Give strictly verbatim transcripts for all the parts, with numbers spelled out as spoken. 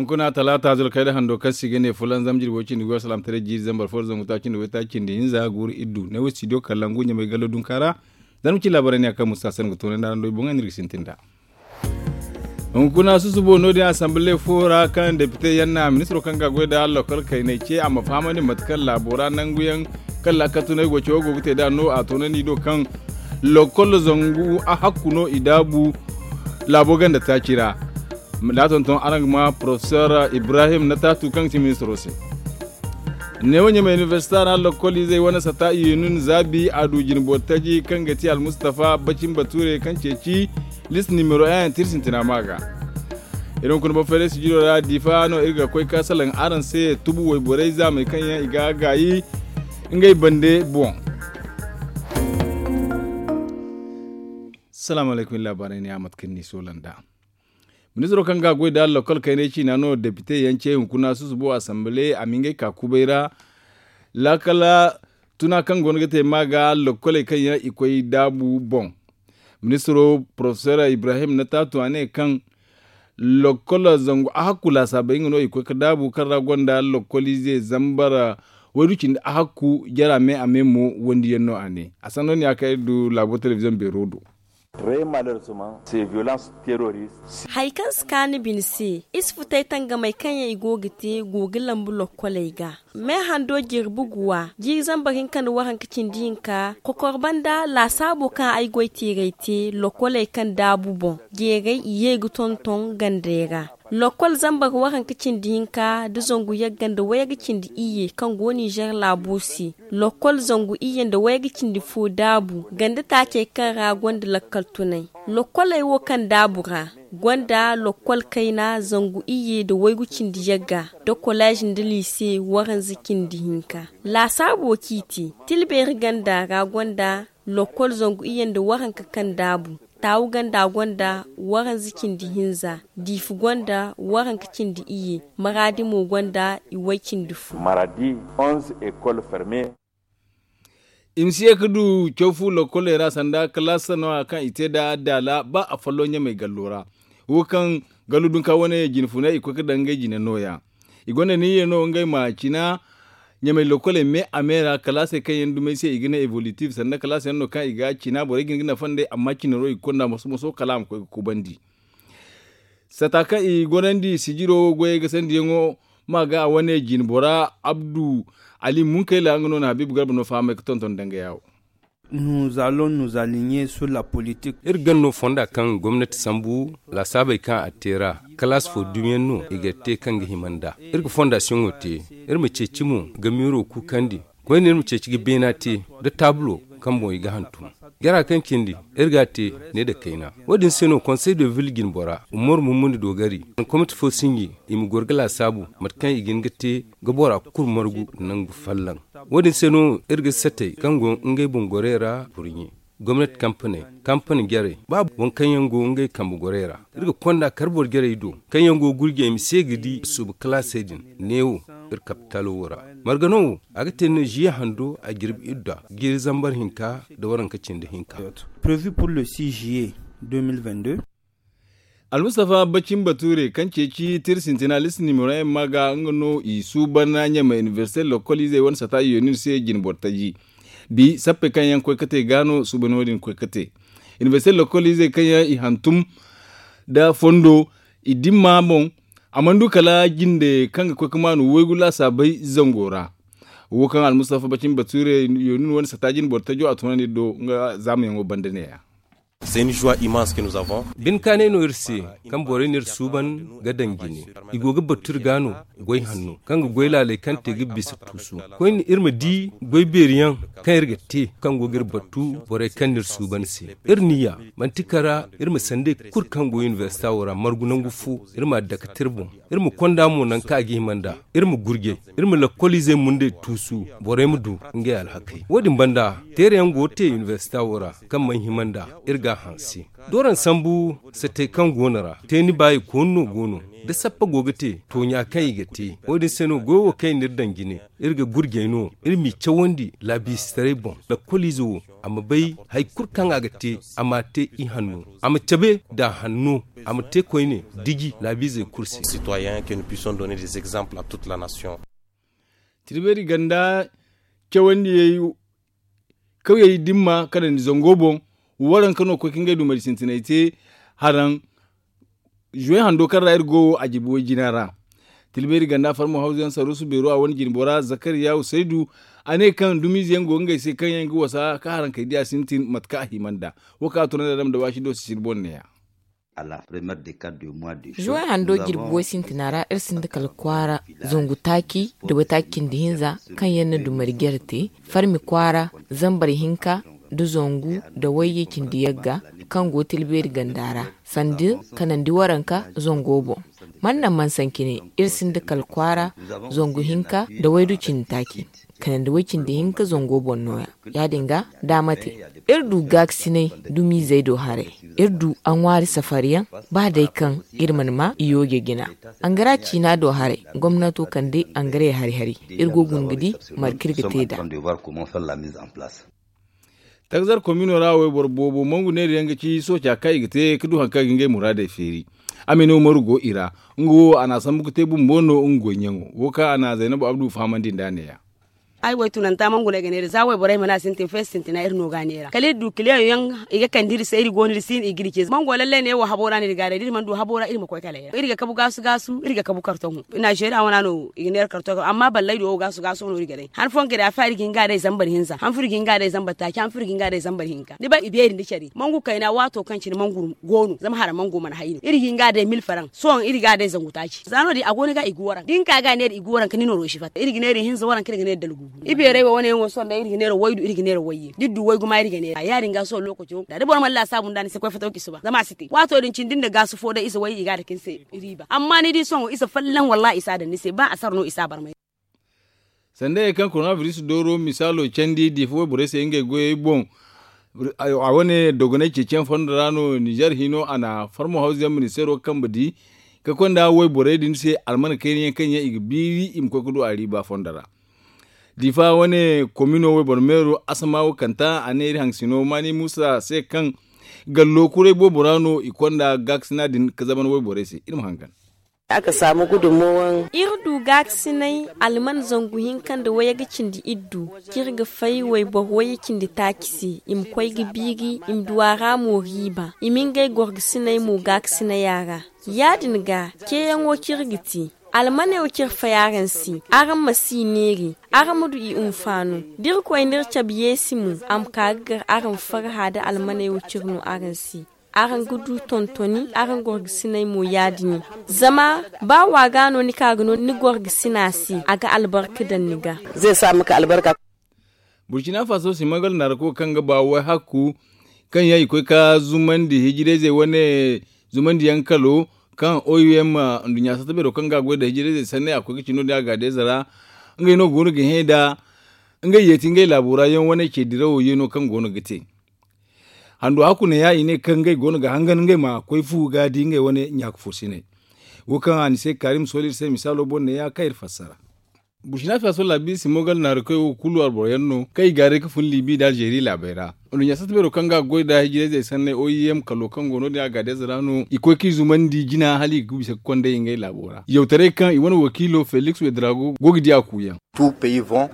Kuna talaata zulkayda hando kaŋ se i ga ne fulanzam jirbi way cindi goy salaamtaray jiiri zambar fo da zangu taaci nda way taaci nda hinza guuru iddu ne wo studio kalangu ɲamay gallo dunka ra. Zama ci laabaray ne a kaŋ musa sanni ga toonay nda araŋ do i boŋ ay no iri ga sintin nd'a. Hunkuna susubo no- din asamble fo ra kaŋ depite yaŋ na ministiro kaŋ ga goy nda lokol kaynay ce a ma fahamandi mate kaŋ laabo ra nangu yaŋ kaŋ laakal tunay goy cawo go ga te nd'a no a toonandi do kaŋ lokol zangu a hakku no i daabu laabo ganda taaci ra. Da a tonton araŋ ga ma porofesor ibrahim na taatu kaŋ ga ti ministiro se. Neewo ɲamay inibersita ra lokol izey wane sata i ye no ni zaabi a du jine boro taji kaŋ ga ti almustafa bacin bature kaŋ ceeci list nimero yaŋ yaŋ te iri sintina ma ga. Iri hunkuna boro fayday sijiro ra diifa no iri ga koy ka salaŋ araŋ se tubu wayborey zaamey kaŋ yaŋ i ga gaayi ngey bande boŋ. Salaamu alaykum iri laabaarey ne a mate kaŋ ni soola nd'a. Ministiro kaŋ ga goy nda lokol kaynay ciina no depite yaŋ ce hunkuna susubo asamble a ma ngey ka kubay ra. Laakala tuna kaŋ go no ga te ma ga lokoley kaŋ yaŋ i koy daabu boŋ. Ministiro porofesor ibrahim na taatu a ne kaŋ lokol zangu a hakku laasaabey nga no i koy ga daabu kaŋ ra gonda lokol ize zambar waydu cindi a hakku jara me a me mo wandi yaŋ no a ne a sanno ne ya kaŋ iri du laabo telebiziyoŋ beero do. Hari kaŋ si kaanu bine se iri si futay tangamey kaŋ yaŋ i go ga te go ga lambu lokkoley ga. Me hando jirbi guwa jiiri zambar hinka nda waranka cindi hinka kokor banda laasaabo kaŋ ay goy teeray te lokkoley kaŋ daabu boŋ jeeray i ye ga tonton gandey ra. Lokol zambar waranka cindi hinka nda zangu yagga nda wayga cindi iyye kaŋ go ninzeer laabo se. Lokol zangu iyye nda wayga cindi fo daabu ganda taacey kaŋ ra gonda lakkal tunay. Lokoley wo kaŋ daabu ra gonda lokol kayna zangu iyye nda waygu cindi yagga nda koleez nda liise waranza cindi hinka. Laasaabo kaŋ i te tilbeeri ganda ra gonda lokol zangu iyye nda waranka kaŋ daabu. Taawu ganda gonda waranza cindi hinza diifa gonda waranka cindi iyye maraadi mo gonda i way cindi fo. I ma si ye ga du caw fu lokoley ra sanda kalaasa no- ya kaŋ i te nd'a daala ba a folloŋ ɲamey gallo ra. Wo kaŋ gallo dunka wane jine funay i koy ga daŋ ngey jine no- ya. I gonda niyyey no ngey ma cina ɲamey lokoley me a me ra kalaasey kaŋ yaŋ dumey se i ga ne evolutiiv sanda kalaasa yaŋ no kaŋ i ga cina borey ga hin ga nafa nd'ey amma cinaro i ga konda moso moso kala a ma koy ga kubandi. Sata kaŋ i gorandi sijiro goyey ga sandiyaŋo ma ga a wane jine bora abdu ali munkayla nga no na habiibu garba no fahamay ga tonton danga yaawo. Nous allons nous aligner sur la politique. Iri gan no fonda kaŋ gomnati sambu laasaabey kaŋ a te ra kalaas fo dumiyaŋ no i ga te kaŋ ga hima nd'a. Iri ga fondasiyoŋo te iri ma ceeci mo ga miiro kuukandi koyne iri ma ceeci ga beena te nda taabulo kaŋ boŋ i ga hantum. Jara kaŋ cindi iri ga a te ne nda kayna. Wo- din se no konsey de vil jine bora umaru mummundi doogari nda komite fo sinji i ma goro ga laasaabu mate kaŋ i ga hin ga te ga bora kulu margu nangu fallaŋ. Wo- din se no iri ga satey kaŋ go ngey boŋ gorey ra kurɲe gomnati kampaney kampani jarey ba waŋ kaŋ yaŋ go ngey kambe gorey ra. Iri ga konda kar boro jarey do kaŋ yaŋ go gurjey ma se ga di suuba kalaasey din neewo iri kapitalo wo ra. Margano wo a ga te no ziye hando a jirbi idda jiiri zambar hinka nda waranka cindi hinka. Prévu pour le six juillet deux mille vingt-deux. Almustafa bacin bature kaŋ ceeci tira sintina lisi nimero yaŋ ma ga nga no i suuban ɲamay inibersite lokol izey wane sata i yonir se jine boro taji. Bi sappey kaŋ yaŋ koy ga te ga no suuban wo- din koy ga te. Inibersite lokol izey kaŋ yaŋ i hantum nda fondo i dimma boŋ. A mana du kala jinde kaŋ ga koy ga maanu waygu laasaabey zango ra. Wo kaŋ almustafa bacin bature yonir wane sata jine boro tajo a tunandi do nga zaamayaŋo banda ne- ya. Bine kaanay no iri se kaŋ borey n'iri suuban ga daŋ jine. I go ga battu iri ga no goy hanno kaŋ ga goy laaley kaŋ te ga bisa tuusu. Koyne iri ma di goy beeri yaŋ kaŋ iri ga te kaŋ go ga iri battu borey kaŋ n'iri suuban se. Iri niyya manti kara iri ma sanday kulu kaŋ go inibersita wo ra margu nangu fo iri m'a dake te iri boŋ. Iri ma konda mo nangu kaŋ a ga hima nd'a. Iri ma gurjay iri ma lakkol izey mundey tuusu borey ma du ngey alhakey wo- din banda teerayaŋ go ga te inibersita wo ra kaŋ mana hima nd'a. Iri ga Hanse, dooran sambu satey kaŋ go no ra teeni baayi koonu no go no. Da sappa go ga te tooɲa kaŋ i ga te, wo- din se no goyo wo kaŋ i n'iri daŋ jine. Iri ga gurjey no iri m'i cawandi laabiize taray boŋ. Lakkoliize wo a ma bay hari kulu kaŋ a ga te, a m'a te i hanno, a ma cabe nd'a hanno, a ma te koyne diji laabiizey kulu se. Citoyen que nous puissions donner des exemples à toute la nation. Tirbeeri ganda cawandiyey kawyey dimma kanandi zango boŋ. Waranka no koy ka ngey dumari sintinay te haraŋ. Zuwey hando kaŋ ra iri go wo a jibi way jina ra. Tilbeeri ganda farmo hawzu yaŋ saruusu beero a wane jinbo ra zakariya usaydu. A ne kaŋ dumiize yaŋ go ngey se kaŋ yaŋ ga wasa ka haraŋ kay diya sintin mate kaŋ a hima nd'a. Wo kaŋ a tunandi a dama da waasi do si sirbo neeya. Zuwey hando jirbi way sintina ra iri sinda kala kwaara zangu taaci da waytaaci cindi hinza kaŋ yaŋ na dumari jare te farmi kwaara zambar hinka da zangu da wayye cindi yagga kaŋ go tilbeeri ganda ra sanda kanandi waranka zango boŋ. Man naŋ man sanci ne iri sinda kala kwaara zangu hinka da waydu cindi taaci kanandi way cindi hinka zango boŋ nooya. Ya- din ga da a ma te iri du gaakasinay dumiizey do haray. Iri du a ŋwaari safariyaŋ ba day kaŋ iri mana ma i yooje jina. Angara ciina do haray gomnato kande angarey hari-hari. Iri go guna ga di marka iri ga te nd'a. Takzar komino ra wayboro boobo mangu neeri yaŋ ga ci sooca kaŋ i ga te ga du hari kaŋ ga ngey muraadey feeri. Amina umaru go i ra. Nga wo a na a sambu ga te bumbo no nga goy ɲaŋo wo kaŋ a na zaynabu abdu fahamandi nd'a neeya. Ay wo ay tunanta mangu no ay ga neera za wayborey mana sintin feesi sintina iri no ga a neera kala iri du kiliyaŋ yaŋ. I ga kande iri se iri go no iri si no i ga iri ce mango lallay ne wo habo ra no iri ga a day da iri mana du habo ra iri ma koy kala ay ra iri ga kabu gaasu gaasu iri ga kabu kartoŋo. Nazeeriya wana no i ga neera kartoŋo amma ballay do wo gaasu gaasu no iri ga day han fooyaŋ ga day a fa iri ga hin ga a day zambar hinza han fo iri ga hin ga a day zambar taaci han fo iri ga hin ga a day zambar hinka ni bay i beeri nda care mangu kayna waato kaŋ cine mangu go no zama hara mangu mana hay no iri ga hin ga a day mil faraŋ sohõ iri ga a day zangu taaci za no- din a go ni ga i ga waraŋ da ni ka ga a neera i ga waraŋ ka ni nooro si fatta iri ga neera ihinza waraŋ ka iri ga neera dalgu. Ibeerey wo wane yaŋ wo sohõ day iri ga neera waydu iri ga neera wayye da iri du waygu ma iri ga neera ya- din ga sohõ lookaco da boro mana laasaabu nd'a ni se koy fataw ka i suba zama a si te waato din cindi nda gaasu fo day ize wayye i ga a dake ni se. Riiba amma ni di sohõ ize folloŋ wallahi i si a daŋ ni se ba a sara no i si a barmay. Sanda ye kaŋ korona biris dooro misaalo candi diifa wayborey se ngey goyey boŋ. A wane dogonay ceeciyaŋ fondo ra no ninzeer hino a na farmo hawzu yaŋ ministeero kambe di ka konda wayborey din se almana kayna yaŋ kaŋ yaŋ i ga biiri i ma koy ga du a riiba fondo ra. Diifa wane komino wayboro meero asama wo kanta a ne iri haŋ sino maani muusa se kaŋ gallo kuray boobo ra no i konda gaakasina din ga zaban wayborey se iri ma hangan. Iri du gaakasinay alman zangu hinka nda wayye ga cindi iddu kaŋ iri ga fay wayboro wayye cindi taaci se i ma koy ga biiri i ma du a ra mo riiba i ma ngey gorgasiney mo gaakasiney a ra. Ya- din ga ceeyaŋo kaŋ iri ga te almaney wo kaŋ iri fay araŋ se araŋ ma si i neeri araŋ ma du i hunfaano da irkoy n'iri cabe yeesi mo a ma ka ga gar araŋ farha nda almaney wo kaŋ iri no araŋ se. Araŋ ga du tontoni araŋ gorgasiney mo ya- din zama ba wa ga no ni ka ga no ni gorgasina se a ga albarka daŋ ni ga. Burkina faso si magal naarako kaŋ ga ba wayhakku kaŋ yaŋ i koy ga zumandi hijirayzey wane zumandi yaŋ kalo kaŋ oim nduɲɲa satta beero kaŋ ga a goy nda hijirayzey sanney a koy ga ci no- din a gaadayze ra. Ngey no go no ga hẽ nda ngey yeeti ngey laabo ra yaŋ wane ce dirawo yeeno kaŋ go no ga te. Hando hakku ne ya i ne kaŋ ngey go no ga hangan ngey ma koy fu ga di ngey wane ɲaaka fursiney. Wo kaŋ a ni se kaari ma sooli iri se misaalo boŋ ne ya kaŋ iri fassara. Burkina faso laabiize si mogal naari koy wo kulu alboro yaŋ no kaŋ i gaaray ga fun libi nda alzeeri laabey ra. Nduɲɲa satta beero kaŋ ga a goy nda hijirayzey sanney oim kalo kaŋ go no- din a gaadayze ra no i koy kaŋ i zumandi jina hala i ga bisa ga konday ngey laabo ra yawtaray kaŋ i wane wakiilo feliks wedrago go ga di a kuuyaŋ.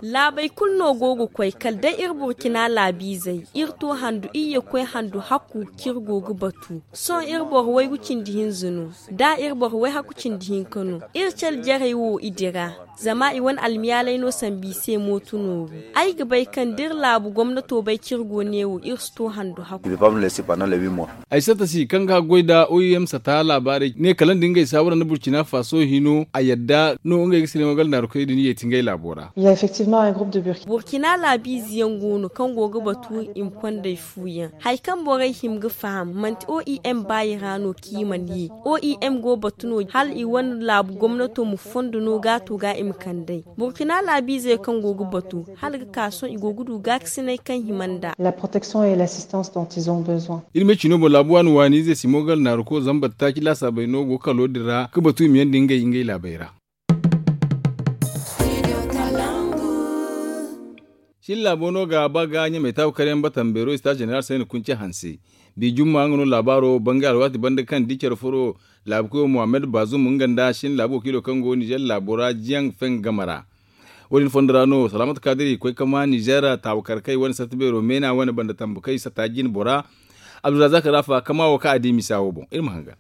Laabey kulu no go ga koy kala day iri burkina laabiizey iri to handu iyye koy handu hakku kaŋ iri go ga batu. Sohõ iri boro waygu cindi hinza no da iri boro wayhakku cindi hinka no. Iri cale jarey wo i dira zama i wane almiyaaley no sambu i se mooto nooru. Ay ga bay kaŋ da iri laabu gomnato bay kaŋ iri go neewo iri si to handu hakku. Ay satta si kaŋ ga goy nda oim sata laabaarey ne kala nda ngey saawara nda burkina faso hino a yadda no ngey ga silay magal naarukey din yeeti ngey laabo ra. Burkina laabiize yaŋ go no kaŋ go ga batu i ma kondey fu yaŋ hari kaŋ borey hima ga faham manti oim baayi ra no kaŋ i mana ye. Oim go batu no hala i wane laabu gomnato ma fondo no gaato ga i ma kand'ey. Burkina laabiizey kaŋ go ga batu hala ga ka sohõ i go ga du gaakasiney kaŋ hima nd'a. Protection et l'assistance dont ils ont besoin. Iri ma cino boŋ laabu waani waani ize simogal naaruko zambar taaci laasaabey no go kalo din ra ga batu i ma yandi ngey ngey laabey ra. Shin laabo no ga ba ga ɲamay taabu karyaŋ batan beero ista jeneral sayna kunce hanse. Bi jumma nga no laabaaro bangay alwaati banda kaŋ di care furo laabu koyo muhammad bazum nga nda shin laabu wakiilo kaŋ go nizer laabo ra jiyaŋ feŋ game ra. Wo- din fondo ra no salaamatu kaadiri koy ka ma nizer taabu kar kay wane sarti beero meena wane banda tambu kay sata jin bora. Abdulrazak rafa kama wo ka a di misa wo boŋ iri ma hangan.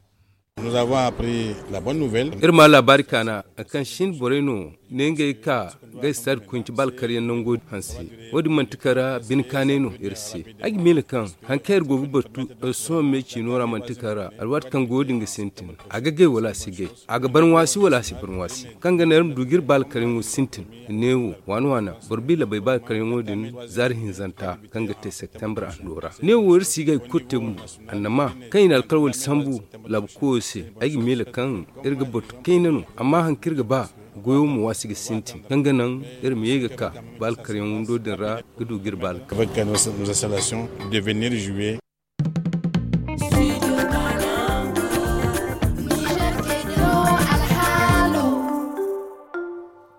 Iri ma laabaari kaana kaŋ shin borey no ne ngey ka ga istad kunci ba alkaryaŋ nango hanse. Wo- din manti kara bine kaanay no iri se. Ay ga miila kaŋ hari kaŋ iri go ga batu iri sohõ me ciino ra manti kara alwaati kaŋ go din ga sintin a ga gay wala a si gay, a ga barŋwaasi wala a si barŋwaasi, kaŋ ga naŋ iri ma du ga iri ba alkaryaŋo sintin. Neewo waana waana boro bi labay ba alkaryaŋo din zaari hinzanta kaŋ ga te septembre ando ra. Neewo iri si ga hari kulu te gumo. Annama kaŋ i na alkawali sambu laabu koyo se, ay ga miila kaŋ iri ga batu kayna no. Amma hari kaŋ iri ga ba goyo ma waasi ga sintin kaŋ ga naŋ iri ma ye ga ka ba alkaryaŋ windo din ra ga du ga iri ba alkaryaŋ.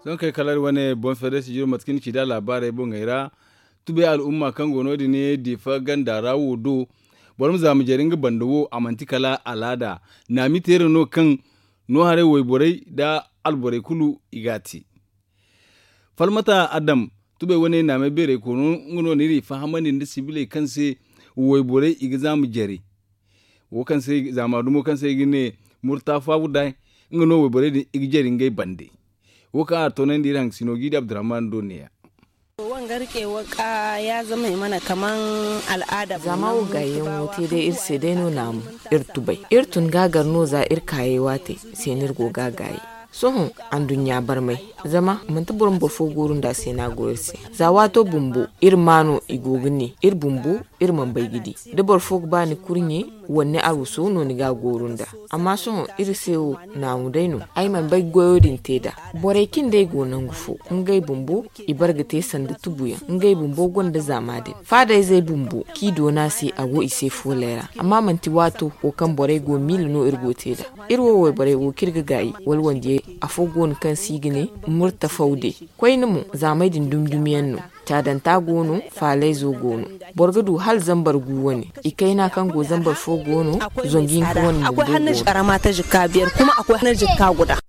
Sohõ kay kala iri wane boŋ fedde sijiro mate kaŋ ni ci nd'a laabaarey boŋey ra. Tubay al'umma kaŋ go no- din difa ganda ra wo do boro ma zaama jare nga banda wo a manti kala alaada. Naami teera no kaŋ no haray wayborey nda alborey kulu i ga a te. Falmata adam tubay wane naamay beerey koonu nga no n'iri fahamandi nda sibiley kaŋ se wayborey i ga zaama jare. Wo kaŋ se zaama dumo kaŋ se i ga ne murta faabu day nga no wayborey din i ga jare ngey bande. Wo kaŋ a toonandi iri hangasino g'i di abdurrahman do neeya. Wanga rike waka ya zama i mana kaman al'ada zama wo gaayi yaŋ wo te day iri se day no naamu. Iri tubay iri tun gaagar no za iri kaayey waate se no iri go ga gaayi. Sohõ anduɲɲa barmay zama manti boro ma boro fo gooru nd'a se no a go iri se. Za waato bumbo iri ma no i go ga ne iri bumbo iri mana bay ga di. Da boro fo ga ba ni kurɲe wala ni arwaso no ni ga a gooru nd'a. Amma sohõ iri se wo naamu day no. Ay mana bay goyo din te nd'a. Borey kaŋ day go nangu fo ngey bumbo i bare ga te sanda tubuyaŋ ngey bumbo gonda zaama din faadayzey bumbo kaŋ i doona se a go i se fooley ra. Amma manti waato wo kaŋ borey go miila no iri go te nd'a. Iri wo wayborey wo kaŋ iri ga gaayi wala wandiyey afo go no kaŋ se i ga ne murta fawde. Koyne mo zaamey din dumi dumi yaŋ no. Caadanta go no. Faalayzo go no. Boro ga du hala zambar gu wane. I kayna kaŋ go zambar fo go no. Zangu hinka wane bumbo go no.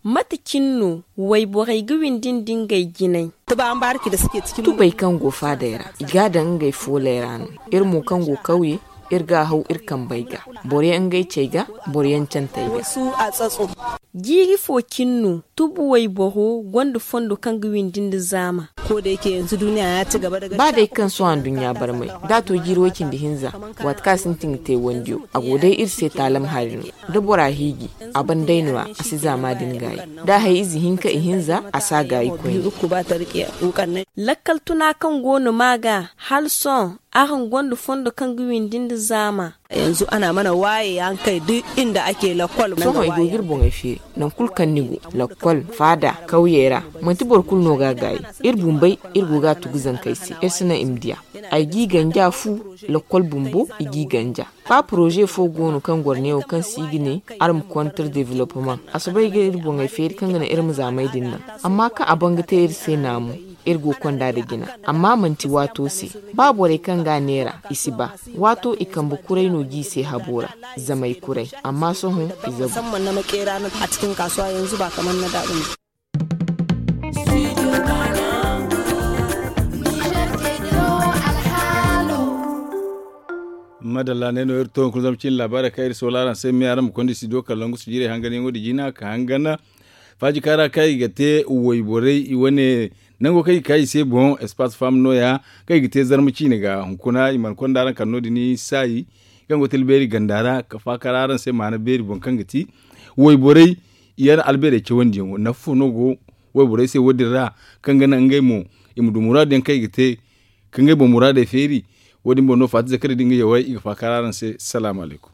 Mate cine no wayborey ga windi nda ngey jinay? Tubay kaŋ go faadey ra i ga a daŋ ngey fooley ra no. Iri mo kaŋ go kawye iri ga a haw iri kambey ga. Boro yaŋ ngey cey ga boro yaŋ cantey ga. Jiiri fo cine no tubu wayboro gonda fondo kaŋ ga windi nda zaama. Ba day kaŋ sohõ anduɲɲa barmay da a to jiiri way cindi hinza waati kaŋ a sintin ga te wandiyo a go day iri se taalam hari no. Da bora hiiji a ban day no- ya a si zaama din gaayi. Da a hay ize hinka ihinza a si a gaayi koyne. Lakkal tuna kaŋ go no ma ga hala sohõ araŋ gonda fondo kaŋ ga windi nda zaama? Sohõ i go ga iri boŋey feeri nangu kulu kaŋ ni go lakkol faada kawyey ra. Manti boro kulu no ga a gaayi. Iri bumbey iri go ga a tugu zankey se iri si naŋ i ma diya. Ay g'i ganja fu lakkol bumbo i g'i ganja. Ba poroze fo go no kaŋ goro neewo kaŋ se i ga ne arma kontir developmaŋ a soobay ga iri boŋey feeri kaŋ ga naŋ iri ma zaamey din naŋ. Amma kaŋ a ban ga te iri se naamu iri go konda nda jina. Amma manti waato se ba borey kaŋ ga a neera i si ba. Waato i kambe kuray no g'i se habo ra zamey kuray. Amma sohõ i zabu. Madalla ne no iri to hunkuna zama cin laabaarey kaŋ iri soola araŋ se me araŋ ma konda studio kala langu sujiirey hanganyaŋo nda jina ka hangan faaji kaara kaŋ i ga te wayborey i wane nango kaŋ i ga ka i se boŋ espace femme no- ya kaŋ i ga te zarma ciine ga hunkuna i mana konda araŋ kala no- din saayi kaŋ go tilbeeri ganda ra ka faakar araŋ se maana beeri boŋ kaŋ ga ti wayborey i yaŋ albeerey cawandiyaŋo nafa fo no go wayborey se wo- din ra kaŋ ga naŋ ngey mo i ma du muraadu yaŋ kaŋ i ga te ka ngey boŋ muraadey feeri. Wo- din boŋ no faati zakari da nga yawey i ga faakar araŋ se salaamu alaykum.